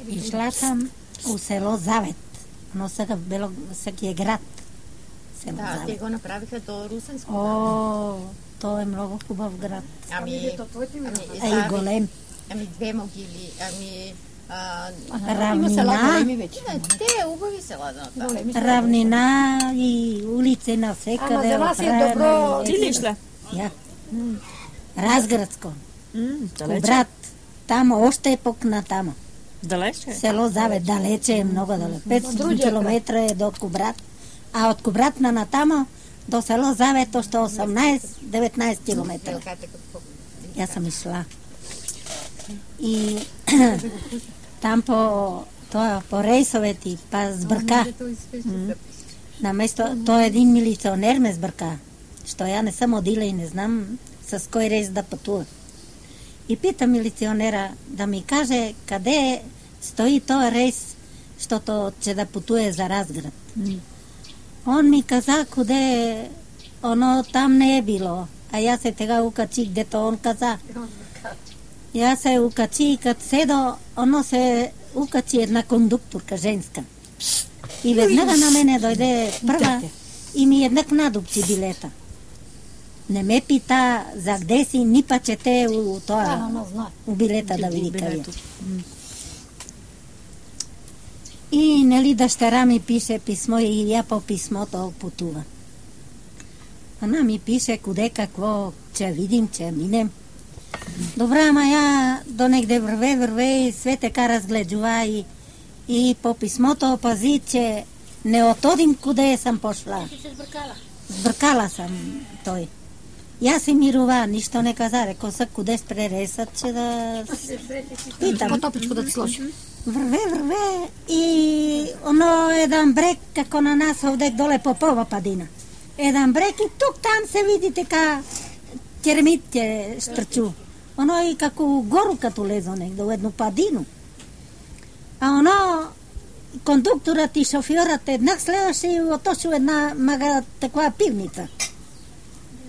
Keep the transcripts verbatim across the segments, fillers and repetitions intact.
Išla sam u selo Zavet. Ono сега било, сега е град. Село Да, Завет. те го направиха до Русенско. О, то е много хубав град. Ами, А и голем. Ами две могили, ами а, Равнина, не, те убави села да направи. равнина и улици на всекъде. Ама за вас е добро. Ти ли шла? Я. Разградско. Далече? Брат, там още е покна там. Далече? Село Завет, далече е, много далече. петстотин километра е до Кубрат. А от Кубрат на натамо до село Завет още осемнайсет-деветнайсет километра. Я съм išla. И там по, това, по рейсовете, па сбърка. На место, той един милиционер ме сбърка. Що я не съм одила и не знам с кой рейс да пътува. И пита милиционера да ми каже къде стои този рейс, защото че да пътуе за Разград. Он ми каза къде оно там не е било. А я се тега укачих, дето он каза. Я се укачи и като седо, оно се укачи една кондукторка женска. И веднага на мене дойде първа и ми еднак надупчи билета. Не ме пита за где си, ни па чете у това, у билета да види къде. И нали дъщеря ми пише писмо и я по писмото пътува. Она ми пише къде какво, че видим, че минем. Добре, ама я до негде върве, върве и sve така разгледжува и, и по писмото пази, че не отодим къде съм пошла. Сбъркала съм той. И аз си мирова, нищо не каза, реко са къде спре рейсът, че да питам. По-топичко да ти сложи. Върве, върве и оно един брег, како на нас овдек доле Попова падина. Един брег и тук там се види така термит те штрчу. Оно и како гору като лезо негде, едно падино. А оно кондукторът и шофьорът еднак следваше и отошил една мага такова пивница.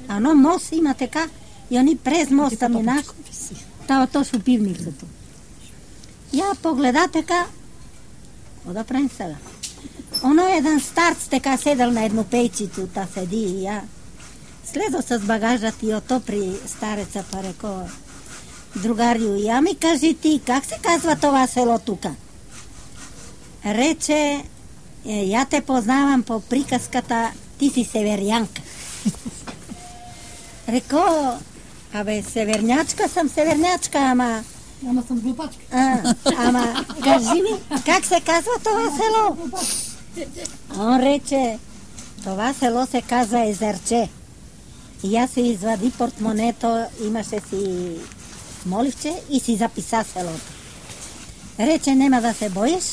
А оно мост има така и они през моста минах, та отошил пивницата. Я погледа така, какво да правим сега? Оно един старц така седал на едно пейчицу, та седи и я слезо с багажът и ото при стареца па реко, другарио, я ми кажи ти, как се казва това село тука? Рече, е, я те познавам по приказката, ти си северянка. Реко, абе, севернячка съм севернячка, ама... Ама съм глупачка. А, ама, кажи ми, как се казва това село? Он рече, това село се казва Езерче. И аз се извади портмонето, имаше си моливче и си записа селото. Рече, нема да се боиш.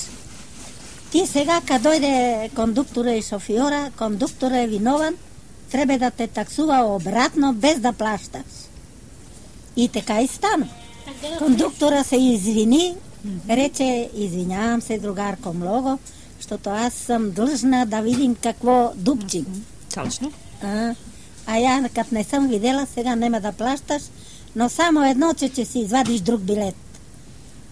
Ти сега, като дойде кондуктора и шофьора, кондуктора е винован, трябва да те таксува обратно, без да плащаш. И така и стана. Кондуктора се извини, рече, извинявам се, другарко, много, защото аз съм длъжна да видим какво дупчим. Точно. А, а я, като не съм видела, сега нема да плащаш, но само едно, че, че си извадиш друг билет.